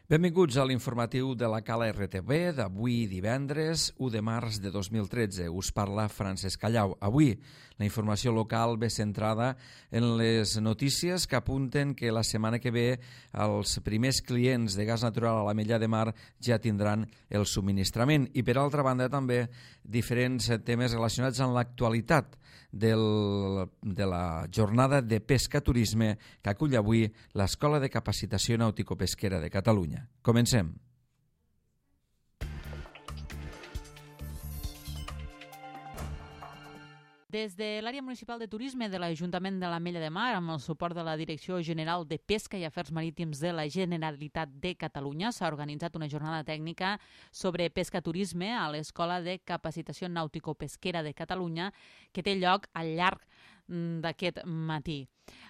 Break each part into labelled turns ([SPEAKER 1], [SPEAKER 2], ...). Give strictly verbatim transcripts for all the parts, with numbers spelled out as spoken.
[SPEAKER 1] Benvinguts a l'informatiu de la Cala R T V d'avui divendres u de març de dos mil tretze. Us parla Francesc Callau. Avui la informació local ve centrada en les notícies que apunten que la setmana que ve els primers clients de gas natural a l'Ametlla de Mar ja tindran el subministrament. I per altra banda també diferents temes relacionats amb l'actualitat del, de la jornada de pesca-turisme que acull avui l'Escola de Capacitació Nàutico-Pesquera de Catalunya. Comencem.
[SPEAKER 2] Des de l'àrea municipal de turisme de l'Ajuntament de l'Ametlla de Mar, amb el suport de la Direcció General de Pesca i Afers Marítims de la Generalitat de Catalunya, s'ha organitzat una jornada tècnica sobre pesca-turisme a l'Escola de Capacitació Nàutico-Pesquera de Catalunya, que té lloc al llarg d'aquest matí.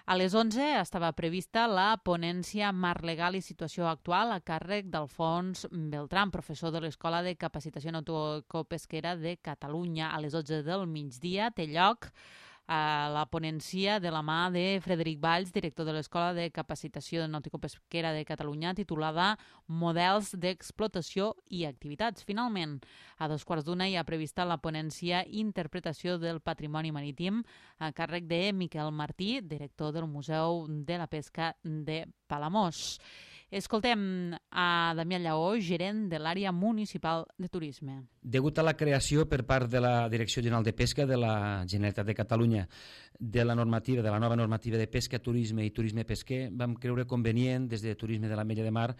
[SPEAKER 2] A les onze estava prevista la ponència Marc Legal i Situació Actual a càrrec d'Alfons Beltran, professor de l'Escola de Capacitació Nàutico-Pesquera de Catalunya. A les dotze del migdia té lloc a la ponència de la mà de Frederic Valls, director de l'Escola de Capacitació Nàutico-Pesquera de Catalunya, titulada Models d'explotació i activitats. Finalment, a dos quarts d'una hi ha prevista la ponència Interpretació del Patrimoni Marítim a càrrec de Miquel Martí, director del Museu de la Pesca de Palamós. Escoltem a Damià Lleó, gerent de l'àrea municipal de turisme.
[SPEAKER 3] Degut a la creació per part de la Direcció General de Pesca de la Generalitat de Catalunya de la normativa, de la nova normativa de pesca, turisme i turisme pesquer, vam creure convenient des de Turisme de l'Ametlla de Mar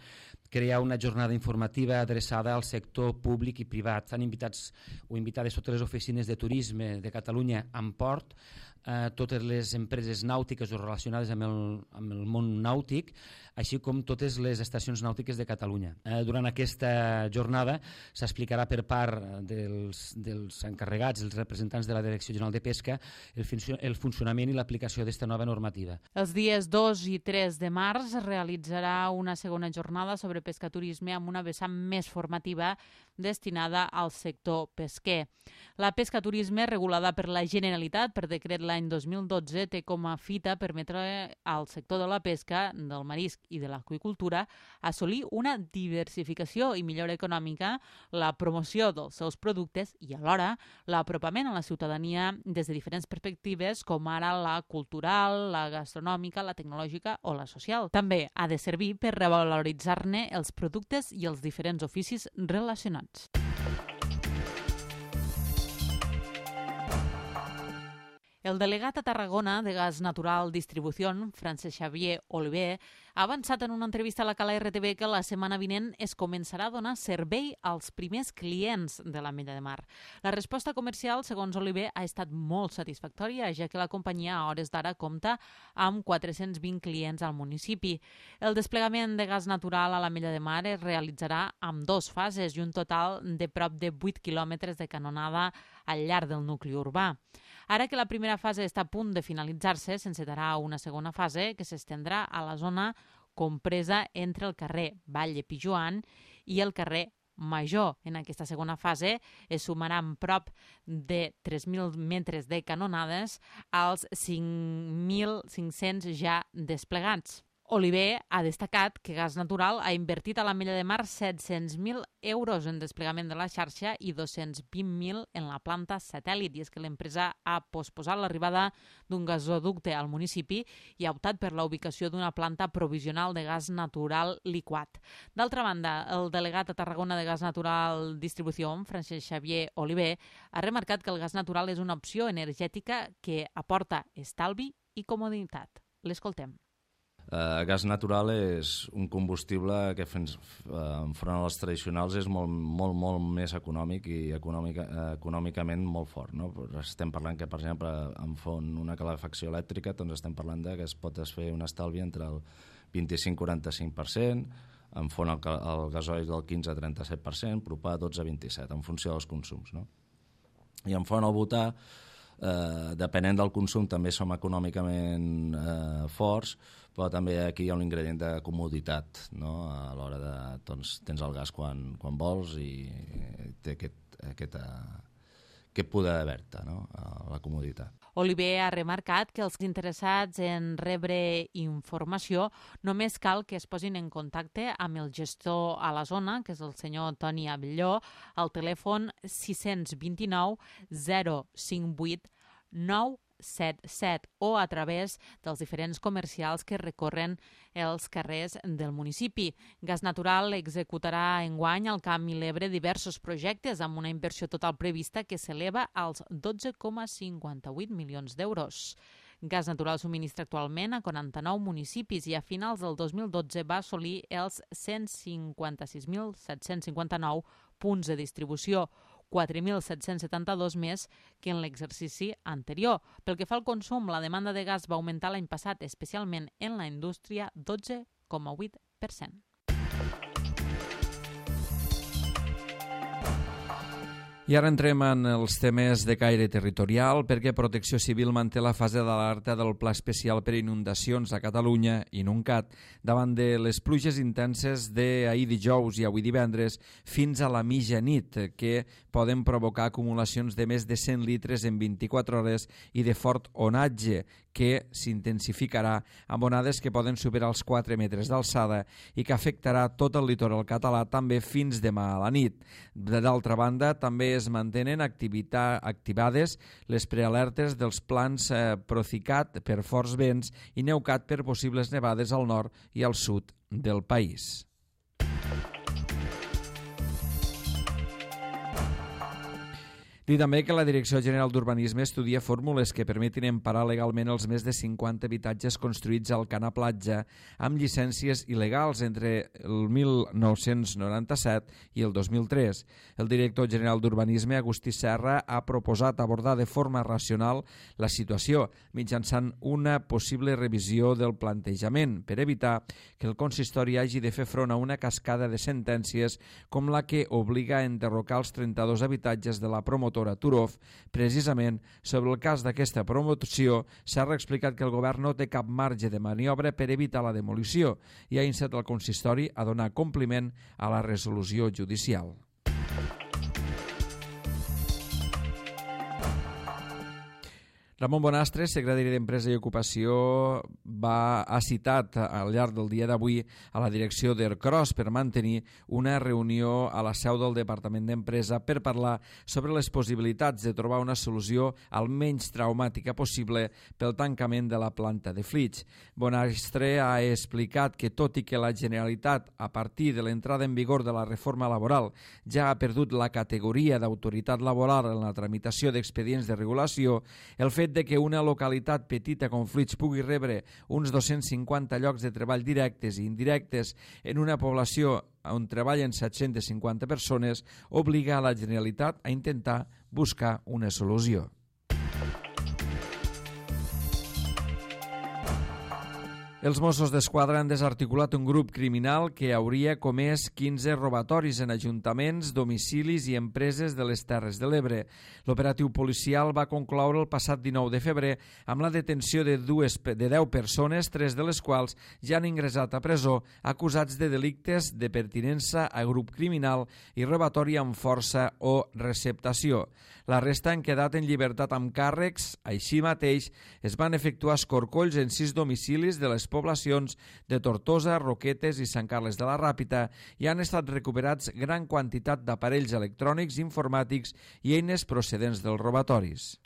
[SPEAKER 3] crear una jornada informativa adreçada al sector públic i privat. Estan invitats o invitades totes les oficines de turisme de Catalunya amb port, eh, totes les empreses nàutiques o relacionades amb el, amb el món nàutic, així com totes les estacions nàutiques de Catalunya. Eh, durant aquesta jornada s'explicarà per part dels, dels encarregats, els representants de la Direcció General de Pesca, el, funcio el funcionament i l'aplicació d'esta nova normativa.
[SPEAKER 2] Els dies dos i tres de març es realitzarà una segona jornada sobre pesca-turisme amb una vessant més formativa destinada al sector pesquer. La pesca-turisme, regulada per la Generalitat per decret l'any dos mil dotze, té com a fita permetre al sector de la pesca, del marisc i de l'aqüicultura assolir una diversificació i millora econòmica, la promoció dels seus productes i alhora l'apropament a la ciutadania des de diferents perspectives com ara la cultural, la gastronòmica, la tecnològica o la social. També ha de servir per revaloritzar-ne els productes i els diferents oficis relacionats. El delegat a Tarragona de Gas Natural Distribució, Francesc Xavier Oliver, ha avançat en una entrevista a la Cala R T V que la setmana vinent es començarà a donar servei als primers clients de l'Ametlla de Mar. La resposta comercial, segons Oliver, ha estat molt satisfactòria, ja que la companyia a hores d'ara compta amb quatre-cents vint clients al municipi. El desplegament de gas natural a l'Ametlla de Mar es realitzarà amb dues fases i un total de prop de vuit quilòmetres de canonada al llarg del nucli urbà. Ara que la primera fase està a punt de finalitzar-se, s'encetarà una segona fase que s'estendrà a la zona compresa entre el carrer Vall de Pijoan i el carrer Major. En aquesta segona fase es sumaran prop de tres mil metres de canonades als cinc mil cinc-cents ja desplegats. Oliver ha destacat que Gas Natural ha invertit a l'Ametlla de Mar set-cents mil euros en desplegament de la xarxa i dos-cents vint mil en la planta satèl·lit, i és que l'empresa ha posposat l'arribada d'un gasoducte al municipi i ha optat per la ubicació d'una planta provisional de gas natural liquat. D'altra banda, el delegat a Tarragona de Gas Natural Distribució, Francesc Xavier Oliver, ha remarcat que el gas natural és una opció energètica que aporta estalvi i comoditat. L'escoltem.
[SPEAKER 4] Uh, gas natural és un combustible que fins, uh, enfront als tradicionals és molt, molt, molt més econòmic i econòmica, uh, econòmicament molt fort, no? Estem parlant que, per exemple, en font una calefacció elèctrica, doncs estem parlant de que es pot fer un estalvi entre el vint-i-cinc a quaranta-cinc per cent, en font el, el gasoil del quinze a trenta-set per cent, propà dotze a vint-i-set, en funció dels consums, no? I en font el butà, eh, depenent del consum, també som econòmicament eh, forts, però també aquí hi ha un ingredient de comoditat, no? A l'hora de, doncs, tens el gas quan, quan vols i té aquest, aquest, aquest poder d'haver-te, no? La comoditat.
[SPEAKER 2] Oliver ha remarcat que els interessats en rebre informació només cal que es posin en contacte amb el gestor a la zona, que és el senyor Toni Abelló, al telèfon sis dos nou zero cinc vuit nou set set o a través dels diferents comercials que recorren els carrers del municipi. Gas Natural executarà enguany al Camp i l'Ebre diversos projectes amb una inversió total prevista que s'eleva als dotze coma cinquanta vuit milions d'euros. Gas Natural subministra actualment a quaranta-nou municipis i a finals del dos mil dotze va assolir els cent cinquanta-sis mil set-cents cinquanta-nou punts de distribució, quatre mil set-cents setanta-dos més que en l'exercici anterior. Pel que fa al consum, la demanda de gas va augmentar l'any passat, especialment en la indústria, dotze coma vuit per cent.
[SPEAKER 1] I ara entrem en els temes de caire territorial perquè Protecció Civil manté la fase d'alerta del Pla Especial per Inundacions a Catalunya, INUNCAT, davant de les pluges intenses d'ahir dijous i avui divendres fins a la mitjanit, que poden provocar acumulacions de més de cent litres en vint-i-quatre hores i de fort onatge, que s'intensificarà amb onades que poden superar els quatre metres d'alçada i que afectarà tot el litoral català també fins demà a la nit. D'altra banda, també es mantenen activades les prealertes dels plans eh, Procicat per forts vents i Neucat per possibles nevades al nord i al sud del país. Dir també que la Direcció General d'Urbanisme estudia fórmules que permetin emparar legalment els més de cinquanta habitatges construïts al Canà Platja amb llicències il·legals entre el mil nou-cents noranta-set i el dos mil tres. El director general d'Urbanisme, Agustí Serra, ha proposat abordar de forma racional la situació mitjançant una possible revisió del plantejament per evitar que el consistori hagi de fer front a una cascada de sentències com la que obliga a enderrocar els trenta-dos habitatges de la promotora Turov. Precisament sobre el cas d'aquesta promoció s'ha explicat que el govern no té cap marge de maniobra per evitar la demolició i ha instat el consistori a donar compliment a la resolució judicial. Ramon Bonastre, secretari d'Empresa i Ocupació, va, ha citat al llarg del dia d'avui a la direcció d'Ercros per mantenir una reunió a la seu del Departament d'Empresa per parlar sobre les possibilitats de trobar una solució al menys traumàtica possible pel tancament de la planta de Flix. Bonastre ha explicat que, tot i que la Generalitat, a partir de l'entrada en vigor de la reforma laboral, ja ha perdut la categoria d'autoritat laboral en la tramitació d'expedients de regulació, el fet de que una localitat petita com Flix pugui rebre uns dos-cents cinquanta llocs de treball directes i indirectes en una població on treballen set-centes cinquanta persones obliga a la Generalitat a intentar buscar una solució. Els Mossos d'Esquadra han desarticulat un grup criminal que hauria comès quinze robatoris en ajuntaments, domicilis i empreses de les Terres de l'Ebre. L'operatiu policial va concloure el passat dinou de febrer amb la detenció de, dues, de deu persones, tres de les quals ja han ingressat a presó, acusats de delictes de pertinença a grup criminal i robatori amb força o receptació. La resta han quedat en llibertat amb càrrecs. Així mateix, es van efectuar escorcolls en sis domicilis de les poblacions de Tortosa, Roquetes i Sant Carles de la Ràpita i han estat recuperats gran quantitat d'aparells electrònics, informàtics i eines procedents dels robatoris.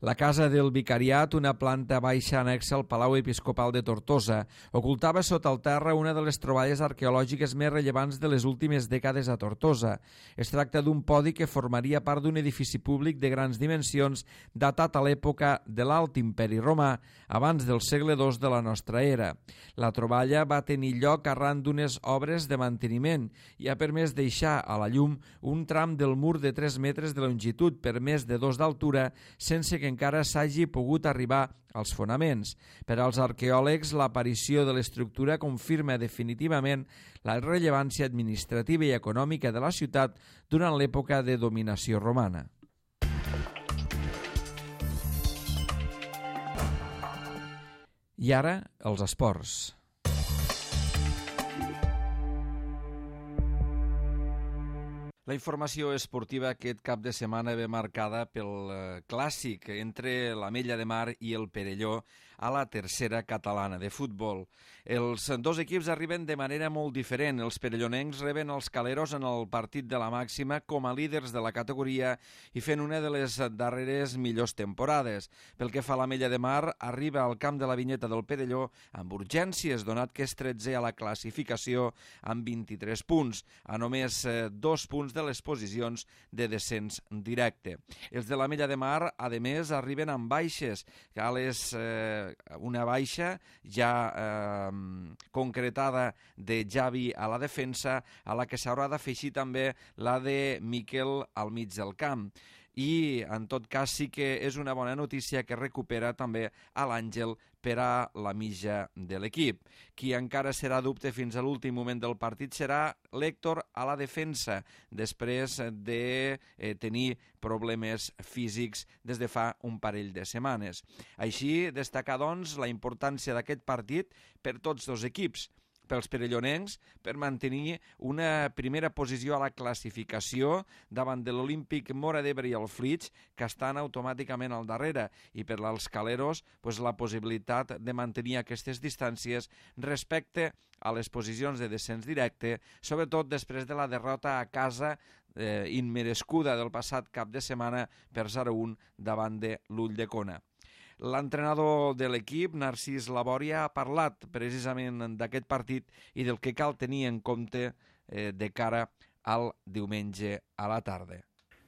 [SPEAKER 1] La Casa del Vicariat, una planta baixa anexa al Palau Episcopal de Tortosa, ocultava sota el terra una de les troballes arqueològiques més rellevants de les últimes dècades a Tortosa. Es tracta d'un podi que formaria part d'un edifici públic de grans dimensions datat a l'època de l'Alt Imperi Romà, abans del segle dos de la nostra era. La troballa va tenir lloc arran d'unes obres de manteniment i ha permès deixar a la llum un tram del mur de tres metres de longitud per més de dos d'altura, sense que encara s'hagi pogut arribar als fonaments. Per als arqueòlegs, l'aparició de l'estructura confirma definitivament la rellevància administrativa i econòmica de la ciutat durant l'època de dominació romana. I ara, els esports. La informació esportiva aquest cap de setmana ve marcada pel clàssic entre l'Ametlla de Mar i el Perelló a la tercera catalana de futbol. Els dos equips arriben de manera molt diferent. Els perellonencs reben els caleros en el partit de la màxima com a líders de la categoria i fent una de les darreres millors temporades. Pel que fa a l'Ametlla de Mar, arriba al camp de la Vinyeta del Perelló amb urgències, donat que és tretzè a la classificació amb vint-i-tres punts, a només dos punts de les posicions de descens directe. Els de l'Ametlla de Mar, a més, arriben amb baixes, a les, eh, una baixa ja eh, concretada de Javi a la defensa, a la que s'haurà d'afegir també la de Miquel al mig del camp. I, en tot cas, sí que és una bona notícia que recupera també a l'Àngel per a la mitja de l'equip. Qui encara serà dubte fins a l'últim moment del partit serà l'Héctor a la defensa, després de eh, tenir problemes físics des de fa un parell de setmanes. Així, destacar, doncs, la importància d'aquest partit per tots dos equips, pels perellonencs, per mantenir una primera posició a la classificació davant de l'Olímpic Móra d'Ebre i el Flix, que estan automàticament al darrere, i per als caleros pues, la possibilitat de mantenir aquestes distàncies respecte a les posicions de descens directe, sobretot després de la derrota a casa eh, immerescuda del passat cap de setmana per zero a un davant de l'Ulldecona. L'entrenador de l'equip, Narcís Labòria, ha parlat precisament d'aquest partit i del que cal tenir en compte eh, de cara al diumenge a la tarda.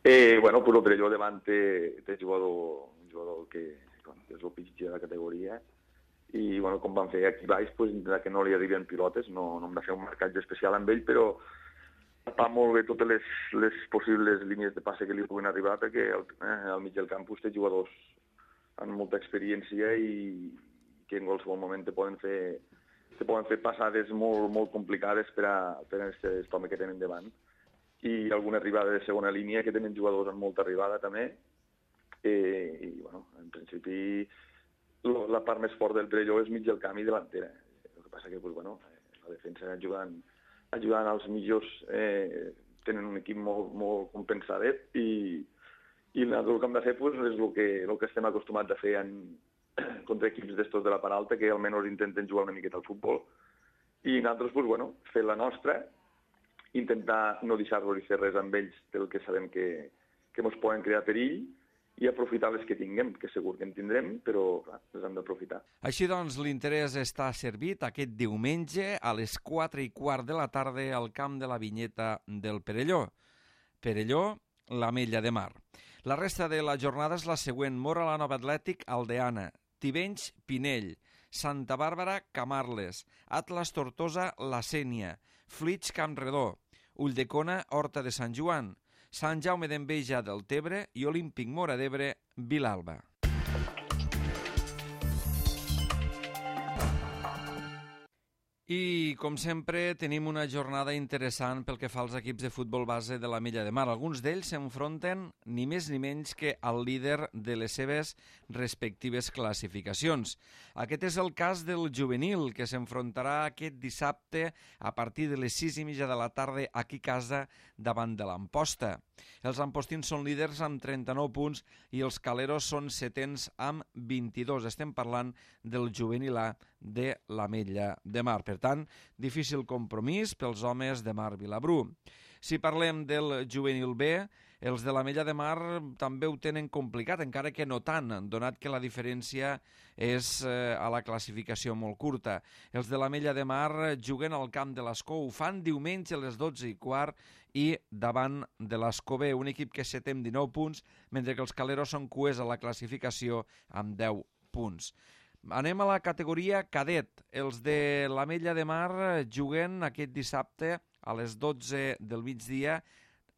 [SPEAKER 5] Eh, bueno, pues el Perelló davant té, té jugador, un jugador que, bueno, que és el pitjor de la categoria i bueno, com van fer aquí baix, pues, que no li arriben pilotes, no, no hem de fer un marcatge especial amb ell, però tapar molt bé totes les, les possibles línies de passe que li puguin arribar, perquè al, eh, al mig del campus té jugadors amb molta experiència i que en qualsevol moment te poden fer, te poden fer passades molt, molt complicades per a, per a aquest home que tenen davant. I alguna arribada de segona línia, que tenen jugadors amb molta arribada també. Eh, I, bueno, en principi, lo, la part més forta del Perelló és mig del camp i delantera. El que passa que, pues, bueno, la defensa ajudant, ajudant als millors, eh, tenen un equip molt, molt compensadet i I el que hem de fer pues, és el que, el que estem acostumats a fer en, contra equips d'estos de la part alta, que almenys intenten jugar una miqueta al futbol. I nosaltres, pues, bueno, fer la nostra, intentar no deixar-los fer res amb ells del que sabem que, que ens poden crear perill i aprofitar les que tinguem, que segur que en tindrem, però clar, les hem d'aprofitar.
[SPEAKER 1] Així doncs, l'interès està servit aquest diumenge a les quatre i quart de la tarda al camp de la Vinyeta del Perelló. Perelló, l'Ametlla de Mar. La resta de la jornada és la següent: Móra la Nova Atlètic, Aldeana, Tivenys, Pinell, Santa Bàrbara, Camarles, Atlas Tortosa, La Sénia, Flix, Campredó, Ulldecona, Horta de Sant Joan, Sant Jaume d'Enveja del Tebre i Olímpic Móra d'Ebre, Vilalba. I, com sempre, tenim una jornada interessant pel que fa als equips de futbol base de l'Ametlla de Mar. Alguns d'ells s'enfronten ni més ni menys que al líder de les seves respectives classificacions. Aquest és el cas del juvenil, que s'enfrontarà aquest dissabte a partir de les sis i mitja de la tarda aquí a casa davant de l'Amposta. Els ampostins són líders amb trenta-nou punts i els caleros són setens amb vint-i-dos. Estem parlant del juvenil A de l'Ametlla de Mar. Per tant, difícil compromís pels homes de Mar Vilabrú. Si parlem del juvenil B, els de l'Ametlla de Mar també ho tenen complicat, encara que no tant, donat que la diferència és eh, a la classificació molt curta. Els de l'Ametlla de Mar juguen al camp de l'Escó, ho fan diumenge a les dotze i quart i davant de l'Escó B, un equip que és setè amb dinou punts, mentre que els caleros són cuers a la classificació amb deu punts. Anem a la categoria cadet. Els de l'Ametlla de Mar juguen aquest dissabte a les dotze del migdia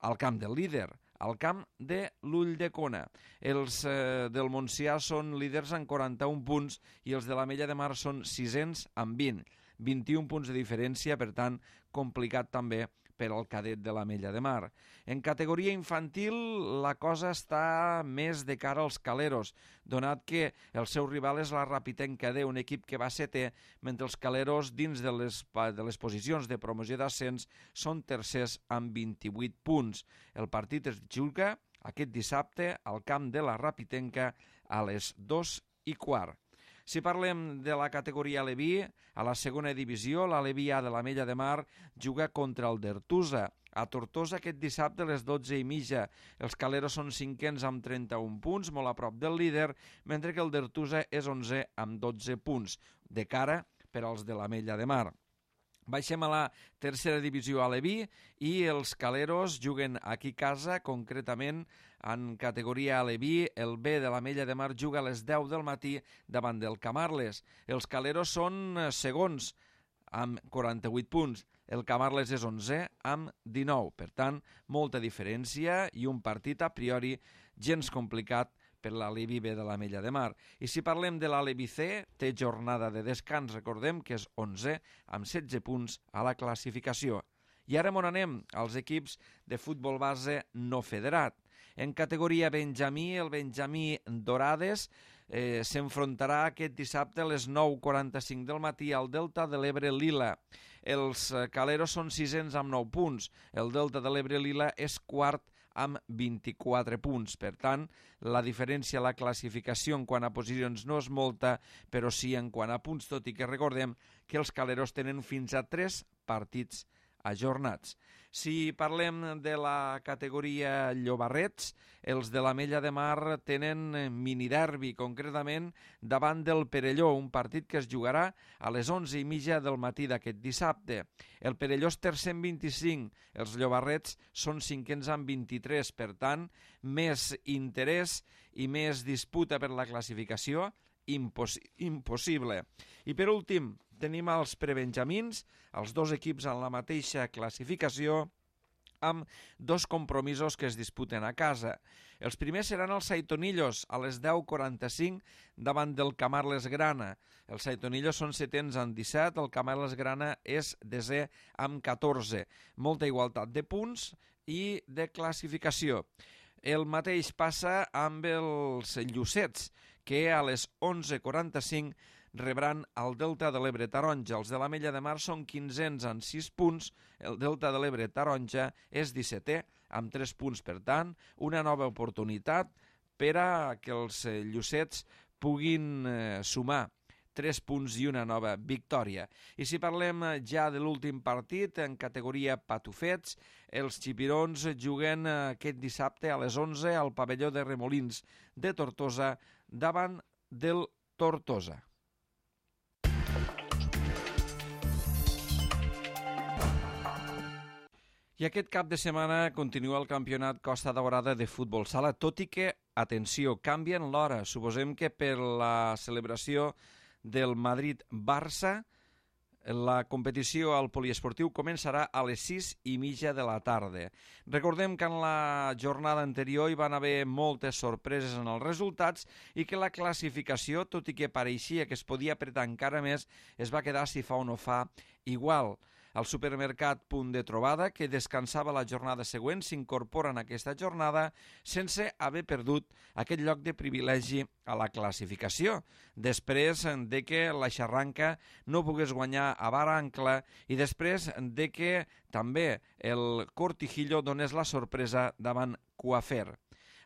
[SPEAKER 1] al camp del líder, al camp de l'Ulldecona. Els eh, del Montsià són líders amb quaranta-un punts i els de l'Ametlla de Mar són sisens amb vint. vint-i-un punts de diferència, per tant, complicat també per al cadet de l'Ametlla de Mar. En categoria infantil la cosa està més de cara als caleros, donat que el seu rival és la Rapitenca D, un equip que va setè, mentre els caleros dins de les, de les posicions de promoció d'ascens són tercers amb vint-i-vuit punts. El partit es juga aquest dissabte al camp de la Rapitenca a les dos i quart. Si parlem de la categoria Aleví, a la segona divisió, l'Aleví A de l'Ametlla de Mar juga contra el d'Ertusa. A Tortosa aquest dissabte a les dotze i mitja. Els caleros són cinquens amb trenta-un punts, molt a prop del líder, mentre que el d'Ertusa és onzè amb dotze punts, de cara per als de l'Ametlla de Mar. Baixem a la tercera divisió aleví i els caleros juguen aquí a casa, concretament en categoria aleví. El B de l'Ametlla de Mar juga a les deu del matí davant del Camarles. Els caleros són segons amb quaranta-vuit punts. El Camarles és onzè amb dinou. Per tant, molta diferència i un partit a priori gens complicat per l'Aleví B de l'Ametlla de Mar. I si parlem de l'Aleví C, té jornada de descans, recordem que és onzè amb setze punts a la classificació. I ara on anem? Als equips de futbol base no federat. En categoria Benjamí, el Benjamí Dorades eh, s'enfrontarà aquest dissabte a les nou i quaranta-cinc del matí al Delta de l'Ebre Lila. Els caleros són sisens amb nou punts. El Delta de l'Ebre Lila és quart amb vint-i-quatre punts. Per tant, la diferència a la classificació en quant a posicions no és molta, però sí en quant a punts, tot i que recordem que els caleros tenen fins a tres partits ajornats. Si parlem de la categoria Llobarrets, els de l'Ametlla de Mar tenen miniderbi, concretament davant del Perelló, un partit que es jugarà a les onze i mitja del matí d'aquest dissabte. El Perelló és tercer amb vint-i-cinc, els Llobarrets són cinquens amb vint-i-tres, per tant, més interès i més disputa per la classificació, Imposs impossible. I per últim, tenim els prebenjamins, els dos equips en la mateixa classificació, amb dos compromisos que es disputen a casa. Els primers seran els Saitonillos a les deu i quaranta-cinc davant del Camarles Grana. Els Saitonillos són setens amb disset, el Camarles Grana és desè amb catorze. Molta igualtat de punts i de classificació. El mateix passa amb els Llucets, que a les onze i quaranta-cinc rebran el Delta de l'Ebre Taronja. Els de l'Ametlla de Mar són quinzens amb sis punts, el Delta de l'Ebre Taronja és dissetè amb tres punts. Per tant, una nova oportunitat per a que els Llucets puguin eh, sumar tres punts i una nova victòria. I si parlem ja de l'últim partit, en categoria patufets, els xipirons juguen aquest dissabte a les onze al pavelló de Remolins de Tortosa davant del Tortosa. I aquest cap de setmana continua el campionat Costa Daurada de futbol sala, tot i que, atenció, canvien l'hora. Suposem que per la celebració del Madrid-Barça, la competició al poliesportiu començarà a les sis i mitja de la tarda. Recordem que en la jornada anterior hi van haver moltes sorpreses en els resultats i que la classificació, tot i que pareixia que es podia apretar encara més, es va quedar, si fa o no fa, igual. El supermercat Punt de Trobada, que descansava la jornada següent, s'incorpora en aquesta jornada sense haver perdut aquest lloc de privilegi a la classificació, després de que la Xarranca no pogués guanyar a Barancla i després de que també el Cortijillo donés la sorpresa davant Coafer.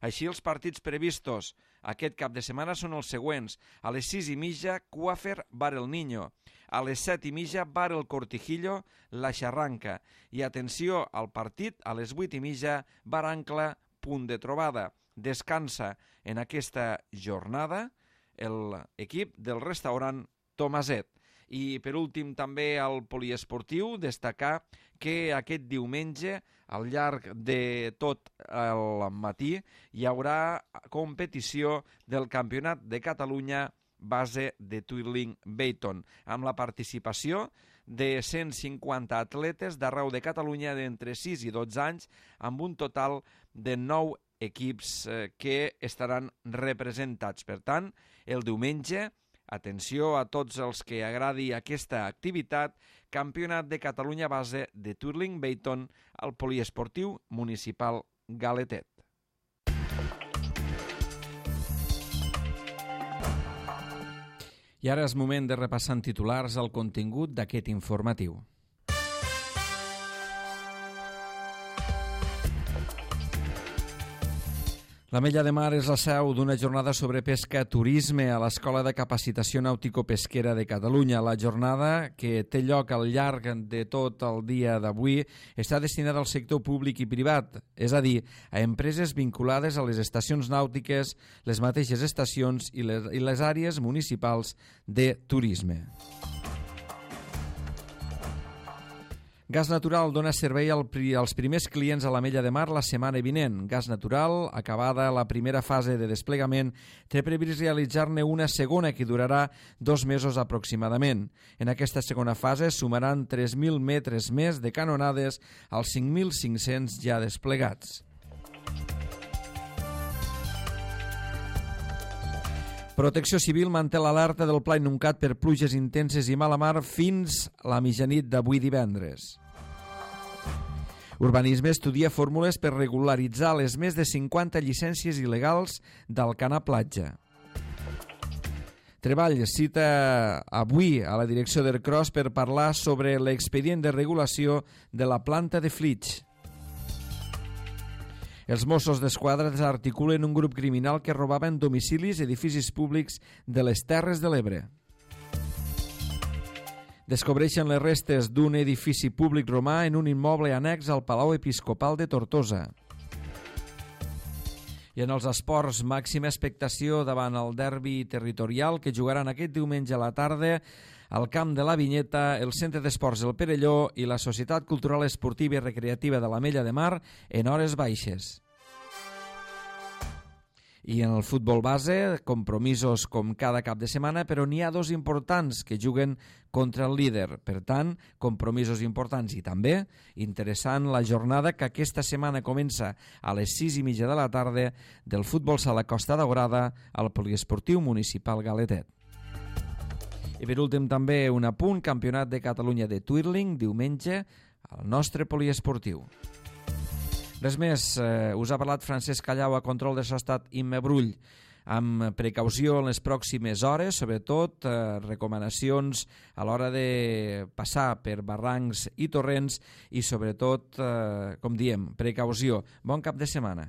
[SPEAKER 1] Així, els partits previstos aquest cap de setmana són els següents. A les sis i mitja, Coafer Bar el Niño. A les set i mitja, Bar el Cortijillo, la Xarranca. I atenció al partit, a les vuit i mitja, Barancla, Punt de Trobada. Descansa en aquesta jornada l'equip del restaurant Tomaset. I per últim també al poliesportiu destacar que aquest diumenge al llarg de tot el matí hi haurà competició del Campionat de Catalunya base de Twirling Bayton amb la participació de cent cinquanta atletes d'arreu de Catalunya d'entre sis i dotze anys amb un total de nou equips que estaran representats. Per tant, el diumenge, atenció a tots els que agradi aquesta activitat, Campionat de Catalunya base de Twirling Bayton al poliesportiu municipal Galetet. I ara és moment de repassar en titulars el contingut d'aquest informatiu. L'Ametlla de Mar és la seu d'una jornada sobre pesca turisme a l'Escola de Capacitació Nàutico-Pesquera de Catalunya. La jornada, que té lloc al llarg de tot el dia d'avui, està destinada al sector públic i privat, és a dir, a empreses vinculades a les estacions nàutiques, les mateixes estacions i les, i les àrees municipals de turisme. Gas Natural dona servei als primers clients a l'Ametlla de Mar la setmana vinent. Gas Natural, acabada la primera fase de desplegament, té previst realitzar-ne una segona que durarà dos mesos aproximadament. En aquesta segona fase sumaran tres mil metres més de canonades als cinc mil cinc-cents ja desplegats. Protecció Civil manté l'alerta del Pla Inuncat per pluges intenses i mala mar fins a la mitjanit d'avui divendres. Urbanisme estudia fórmules per regularitzar les més de cinquanta llicències il·legals d'Alcanar Platja. Treball cita avui a la direcció d'Ercros per parlar sobre l'expedient de regulació de la planta de Flix. Els Mossos d'Esquadra desarticulen un grup criminal que robava en domicilis i edificis públics de les Terres de l'Ebre. Descobreixen les restes d'un edifici públic romà en un immoble annex al Palau Episcopal de Tortosa. I en els esports, màxima expectació davant el derbi territorial que jugaran aquest diumenge a la tarda al camp de la Vinyeta, el Centre d'Esports El Perelló i la Societat Cultural Esportiva i Recreativa de l'Ametlla de Mar en hores baixes. I en el futbol base, compromisos com cada cap de setmana, però n'hi ha dos importants que juguen contra el líder. Per tant, compromisos importants i també interessant la jornada que aquesta setmana comença a les sis i mitja de la tarda del futbol sala Costa Daurada al poliesportiu municipal Galetet. I per últim també un apunt, Campionat de Catalunya de Twirling, diumenge al nostre poliesportiu. Res més, eh, us ha parlat Francesc Callau a control de Sostat Imma Brull. Amb precaució en les pròximes hores, sobretot eh, recomanacions a l'hora de passar per barrancs i torrents i sobretot, eh, com diem, precaució. Bon cap de setmana.